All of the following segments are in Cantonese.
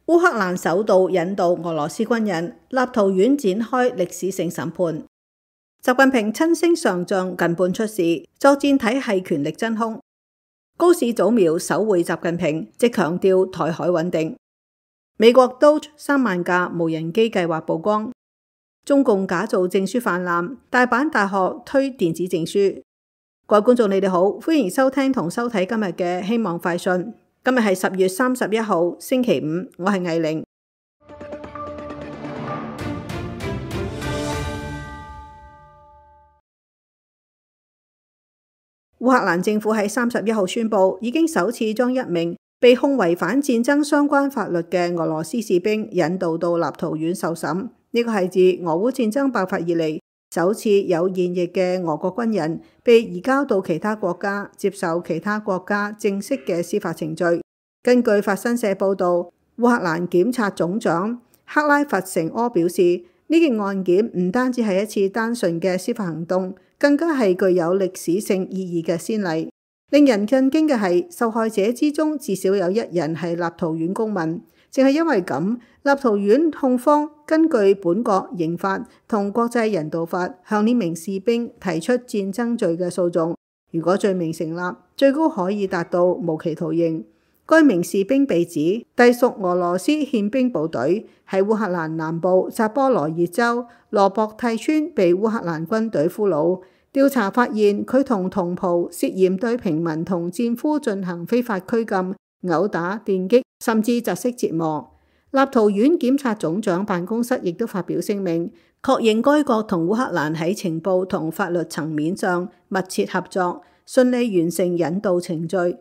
烏克蘭首度引渡俄羅斯軍人，立陶宛展開歷史性審判。習近平親升上將近半出事，作戰體系權力真空。高市早苗首會習近平，即強調台海穩定。美國 Doge 3萬架無人機計劃曝光。中共假造證書泛濫，大阪大學推電子證書。各位觀眾，你哋好，歡迎收聽同收睇今日嘅希望快訊。今日係10月31號，星期五，我係藝玲。烏克蘭政府喺31號宣布，已經首次將一名被控違反戰爭相關法律嘅俄羅斯士兵引渡到立陶宛受審。呢個係自俄烏戰爭爆發以嚟首次有現役嘅俄國軍人被移交到其他國家，接受其他國家正式嘅司法程序。根據法新社報導，烏克蘭檢察總長克拉弗成柯表示，呢件案件唔單止係一次單純嘅司法行動，更加係具有歷史性意義嘅先例。令人震驚嘅係，受害者之中至少有一人係立陶宛公民。正係因為咁，立陶宛控方根據本國刑法同國際人道法向呢名士兵提出戰爭罪嘅訴訟。如果罪名成立，最高可以達到無期徒刑。該名士兵被指隸屬俄羅斯憲兵部隊，喺烏克蘭南部扎波羅熱州羅博蒂村被烏克蘭軍隊俘虜。調查發現，佢同同袍涉嫌對平民同戰俘進行非法拘禁、毆打、電擊，甚至窒息折磨。立陶宛檢察總長辦公室亦都發表聲明，確認該國同烏克蘭喺情報同法律層面上密切合作，順利完成引渡程序。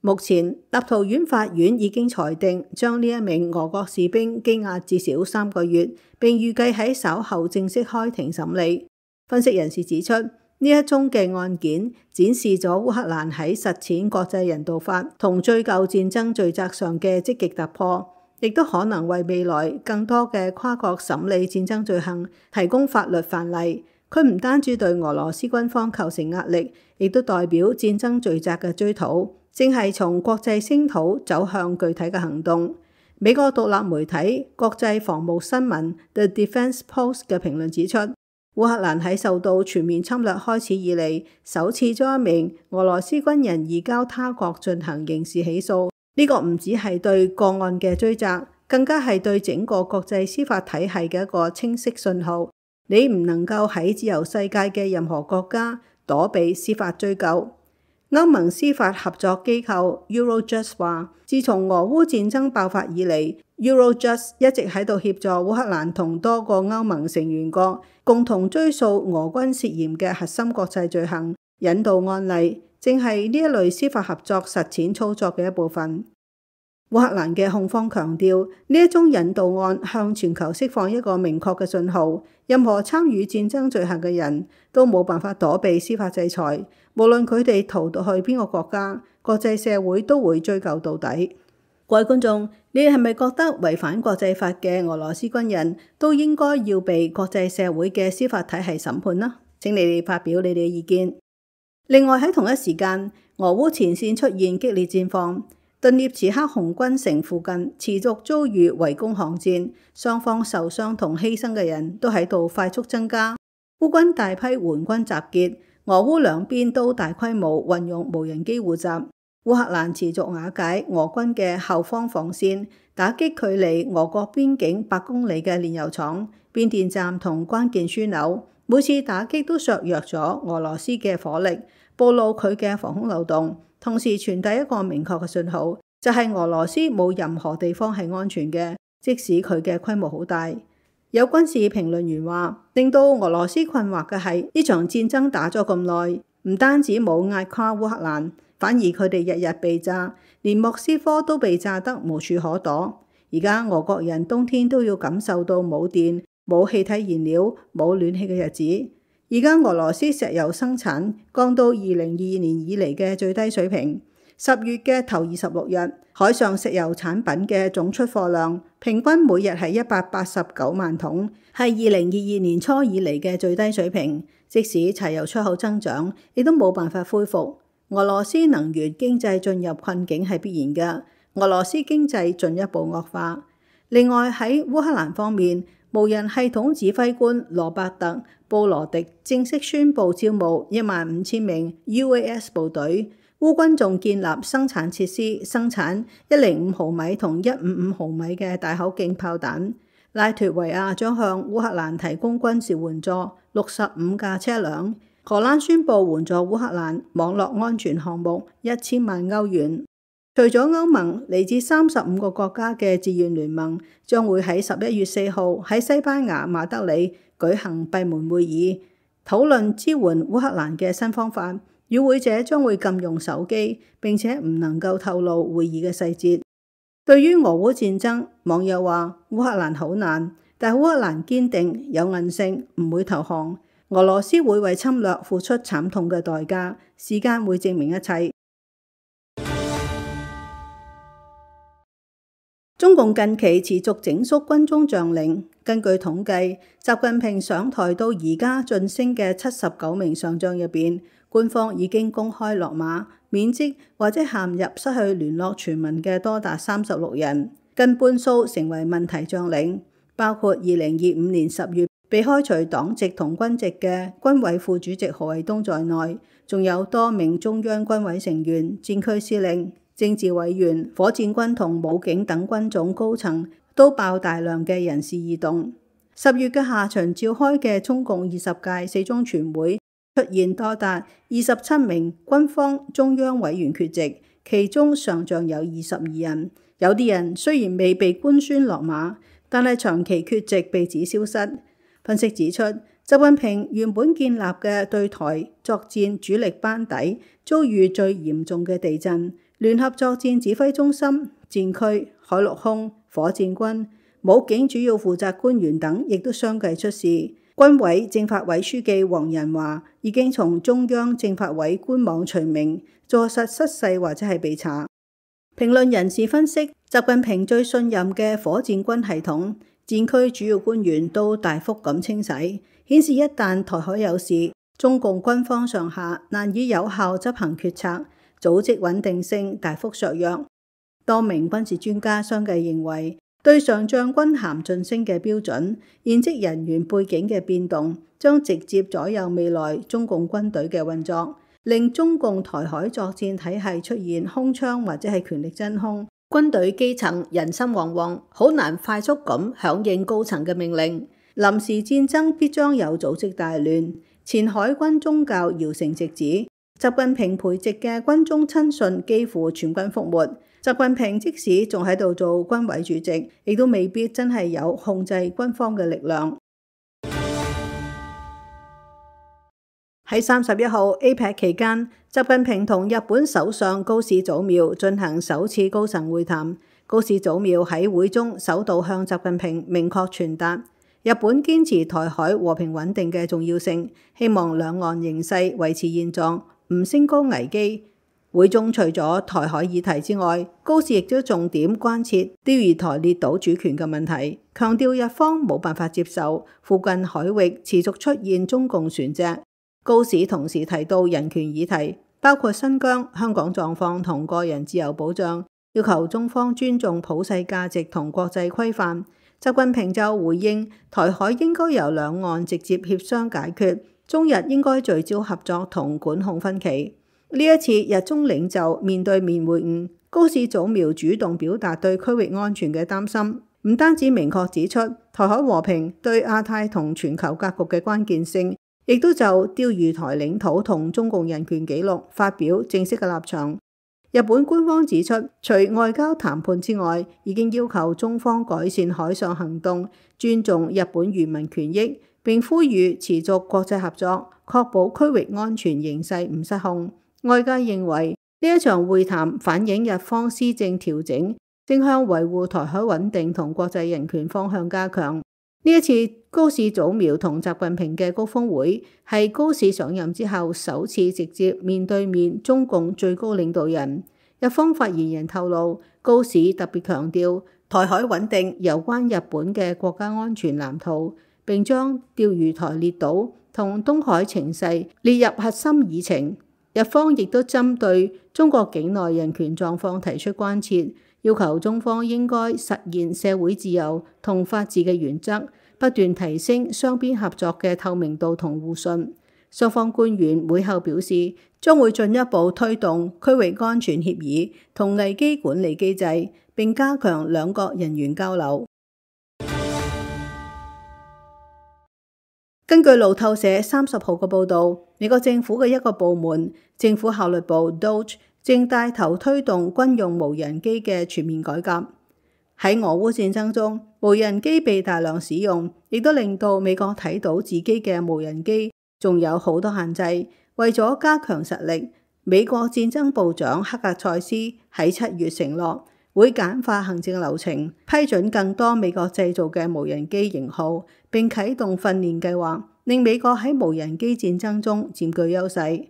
目前，立陶宛法院已經裁定將呢一名俄國士兵羈押至少3個月，並預計喺稍後正式開庭審理。分析人士指出，呢一宗嘅案件展示咗烏克蘭喺實踐國際人道法同追究戰爭罪責上嘅積極突破，亦都可能為未來更多嘅跨國審理戰爭罪行提供法律範例。佢唔單止對俄羅斯軍方構成壓力，亦都代表戰爭罪責嘅追討正係從國際聲討走向具體嘅行動。美國獨立媒體國際防務新聞 The Defense Post 嘅評論指出，烏克蘭喺受到全面侵略開始以嚟，首次將一名俄羅斯軍人移交他國進行刑事起訴。呢個唔只係對個案嘅追責，更加係對整個國際司法體系嘅一個清晰信號。你唔能夠喺自由世界嘅任何國家躲避司法追究。歐盟司法合作機構 Eurojust 話，自從俄烏戰爭爆發以嚟，Eurojust 一直喺度協助烏克蘭同多個歐盟成員國共同追訴俄軍涉嫌嘅核心國際罪行，引渡案例正係呢一類司法合作實踐操作嘅一部分。烏克蘭嘅控方強調，呢一宗引渡案向全球釋放一個明確嘅信號，任何參與戰爭罪行嘅人都冇辦法躲避司法制裁，無論佢哋逃到去邊個國家，國際社會都會追究到底。各位觀眾，你哋係咪覺得違反國際法嘅俄羅斯軍人都應該要被國際社會嘅司法體系審判呢？請你哋發表你哋嘅意見。另外喺同一時間，俄烏前線出現激烈戰況。頓涅茨克紅軍城附近持續遭遇圍攻巷戰，雙方受傷同犧牲嘅人都喺度快速增加。烏軍大批援軍集結，俄烏兩邊都大規模運用無人機互襲。烏克蘭持續瓦解俄軍嘅後方防線，打擊距離俄國邊境8公里嘅煉油廠、變電站同關鍵樞紐。每次打擊都削弱咗俄羅斯嘅火力，暴露佢嘅防空漏洞。同時傳遞一個明確嘅信號，就係俄羅斯冇任何地方係安全嘅，即使佢嘅規模好大。有軍事評論員話，令到俄羅斯困惑嘅係呢場戰爭打咗咁耐，唔單止冇壓垮烏克蘭，反而佢哋日日被炸，連莫斯科都被炸得無處可躲。而家俄國人冬天都要感受到冇電、冇氣體燃料、冇暖氣嘅日子。而家俄羅斯石油生產降到2022年以嚟嘅最低水平。10月嘅頭26日，海上石油產品嘅總出貨量平均每日係189萬桶，係2022年初以嚟嘅最低水平。即使柴油出口增長，亦都冇辦法恢復。俄羅斯能源經濟進入困境係必然嘅。俄羅斯經濟進一步惡化。另外喺烏克蘭方面，無人系統指揮官羅伯特·布羅迪正式宣布招募15000名 UAS 部隊。烏軍仲建立生產設施，生產105毫米同155毫米嘅大口徑炮彈。拉脫維亞將向烏克蘭提供軍事援助65架車輛。荷蘭宣布援助烏克蘭網絡安全項目1000萬歐元。除咗歐盟，嚟自35個國家嘅志願聯盟將會喺11月4號喺西班牙馬德里舉行閉門會議，討論支援烏克蘭嘅新方法。與會者將會禁用手機，並且唔能夠透露會議嘅細節。對於俄烏戰爭，網友話烏克蘭好難，但烏克蘭堅定有韌性，唔會投降。俄羅斯會為侵略付出慘痛嘅代價，時間會證明一切。中共近期持續整肅軍中將領，根據統計，習近平上台到而家晉升嘅79名上將入邊，官方已經公開落馬、免職或者陷入失去聯絡傳聞嘅多達36人，近半數成為問題將領，包括2025年10月被開除黨籍同軍籍嘅軍委副主席何衛東在內，仲有多名中央軍委成員、戰區司令、政治委員、火箭軍同武警等軍種高層都爆大量嘅人事異動。10月嘅下旬召開嘅中共20屆四中全會，出現多達27名軍方中央委員缺席，其中上將有22人。有啲人雖然未被官宣落馬，但係長期缺席被指消失。分析指出，習近平原本建立嘅對台作戰主力班底遭遇最嚴重嘅地震，聯合作戰指揮中心、戰區、海陸空、火箭軍、武警主要負責官員等亦都相繼出事。軍委政法委書記黃仁華已經從中央政法委官網除名，坐實失勢或者係被查。評論人士分析，習近平最信任嘅火箭軍系統、戰區主要官員都大幅咁清洗，顯示一旦台海有事，中共軍方上下難以有效執行決策，組織穩定性大幅削弱。多名軍事專家相繼認為，對上將軍銜晉升嘅標準，現職人員背景嘅變動，將直接左右未來中共軍隊嘅運作，令中共台海作戰體系出現空窗或者係權力真空，軍隊基層人心惶惶，好難快速咁響應高層嘅命令。臨時戰爭必將有組織大亂。前海軍宗教姚成直指，習近平培植嘅軍中親信幾乎全軍覆沒。習近平即使仲喺度做軍委主席，亦都未必真係有控制軍方嘅力量。喺31號 APEC 期間，習近平同日本首相高市早苗進行首次高層會談。高市早苗喺會中首度向習近平明確傳達日本堅持台海和平穩定嘅重要性，希望兩岸形勢維持現狀，唔升高危機。會中除咗台海議題之外，高市亦都重點關切釣魚台列島主權嘅問題，強調日方冇辦法接受附近海域持續出現中共船隻。高市同時提到人權議題，包括新疆、香港狀況同個人自由保障，要求中方尊重普世價值同國際規範。習近平就回應台海應該由兩岸直接協商解決，中日應該聚焦合作同管控分歧。呢一次日中領袖面對面會晤，高市早苗主動表達對區域安全嘅擔心，唔單止明確指出台海和平對亞太同全球格局嘅關鍵性，亦都就釣魚台領土同中共人權紀錄發表正式嘅立場。日本官方指出，除外交談判之外，已經要求中方改善海上行動，尊重日本漁民權益，並呼籲持續國際合作，確保區域安全形勢唔失控。外界認為呢一場會談反映日方施政調整，正向維護台海穩定同國際人權方向加強。呢一次高市早苗同習近平嘅高峰會，係高市上任之後首次直接面對面中共最高領導人。日方發言人透露，高市特別強調台海穩定有關日本嘅國家安全藍圖，並將釣魚台列島同東海情勢列入核心議程。日方亦都針對中國境內人權狀況提出關切，要求中方應該實現社會自由同法治嘅原則，不斷提升雙邊合作嘅透明度同互信。雙方官員會後表示，將會進一步推動區域安全協議同危機管理機制，並加強兩國人員交流。根據路透社30號嘅報導，美國政府嘅一個部門政府效率部 DOGE 正帶頭推動軍用無人機嘅全面改革。喺俄烏戰爭中，無人機被大量使用，亦都令到美國睇到自己嘅無人機仲有好多限制。為咗加強實力，美國戰爭部長克格塞斯喺7月承諾會簡化行政流程，批准更多美國製造嘅無人機型號，並啟動訓練計劃，令美國喺無人機戰爭中佔據優勢。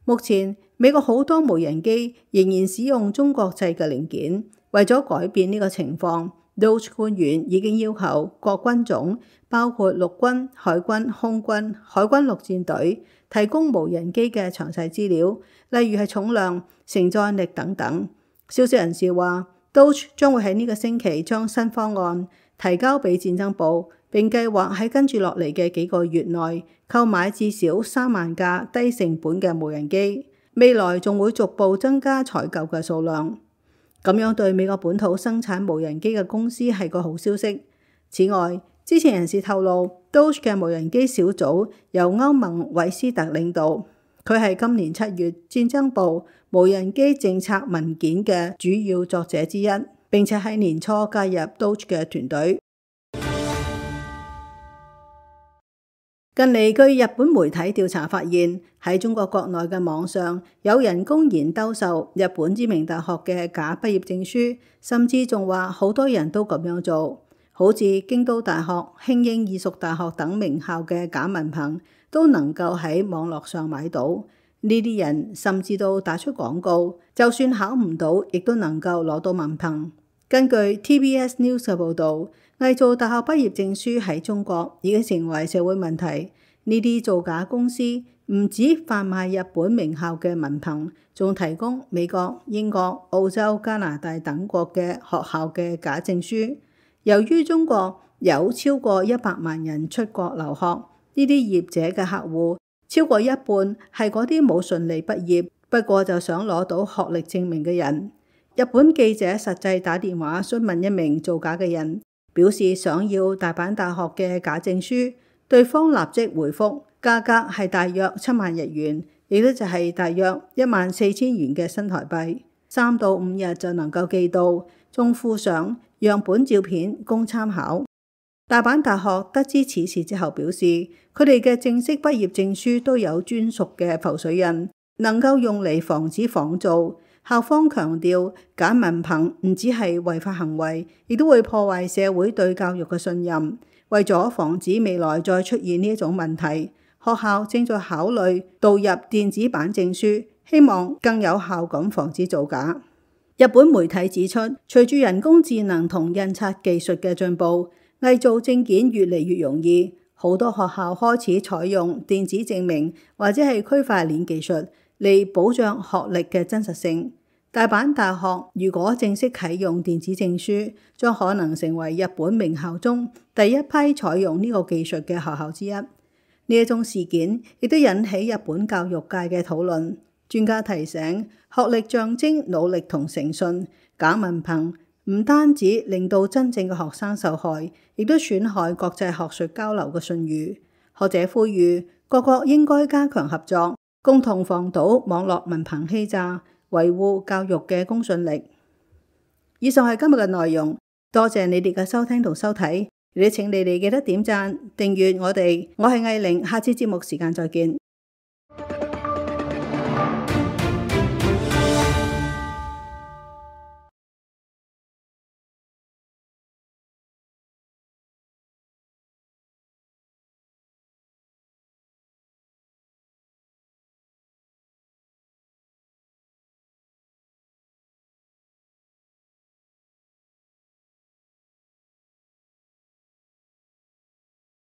目前，美國好多無人機仍然使用中國製嘅零件。為咗改變呢個情況， DOGE 官員已經要求各軍種，包括陸軍、海軍、空軍、海軍陸戰隊，提供無人機嘅詳細資料，例如係重量、承載力等等。消息人士話，DOGE 將會喺呢個星期將新方案提交俾戰爭部，並計劃喺跟住落嚟嘅幾個月內購買至少3萬架低成本嘅無人機，未來仲會逐步增加採購嘅數量。咁樣對美國本土生產無人機嘅公司係個好消息。此外，知情人士透露，DOGE 嘅無人機小組由歐盟韋斯特領導，佢係今年7月戰爭部無人機政策文件嘅主要作者之一，並且喺年初加入 DOGE 嘅團隊。近嚟據日本媒體調查發現，喺中國國內嘅網上有人公然兜售日本知名大學嘅假畢業證書，甚至仲話好多人都咁樣做，好似京都大學、慶應義塾大學等名校嘅假文憑都能夠喺網絡上買到。呢啲人甚至都打出廣告，就算考唔到，亦都能夠攞到文憑。根據 TBS News 嘅報導，偽造大學畢業證書喺中國已經成為社會問題。呢啲造假公司唔止販賣日本名校嘅文憑，仲提供美國、英國、澳洲、加拿大等國嘅學校嘅假證書。由於中國有超過100萬人出國留學，呢啲業者嘅客戶超過一半係嗰啲冇順利畢業，不過就想攞到學歷證明嘅人。日本記者實際打電話詢問一名造假嘅人，表示想要大阪大學嘅假證書，對方立即回覆，價格係大約7萬日元，亦都就係大約14000元嘅新台幣，3到5日就能夠寄到，仲附上樣本照片供參考。大阪大學得知此事之後表示，佢哋嘅正式畢業證書都有專屬嘅浮水印，能夠用嚟防止仿造。校方強調，假文憑唔只係違法行為，亦都會破壞社會對教育嘅信任。為咗防止未來再出現呢一種問題，學校正在考慮導入電子版證書，希望更有效咁防止造假。日本媒體指出，隨住人工智能同印刷技術嘅進步，偽造證件越嚟越容易，好多學校開始採用電子證明或者係區塊鏈技術嚟保障學歷嘅真實性。大阪大學如果正式啟用電子證書，將可能成為日本名校中第一批採用呢個技術嘅學校之一。呢一宗事件亦都引起日本教育界嘅討論。專家提醒，學歷象徵努力同誠信，假文憑唔單止令到真正嘅學生受害，亦都損害國際學術交流嘅信譽。學者呼籲各國應該加強合作，共同防堵網絡文憑欺詐，維護教育嘅公信力。以上係今日嘅內容，多謝你哋嘅收聽同收睇。亦請你哋記得點讚、訂閱我哋。我係藝玲，下次節目時間再見。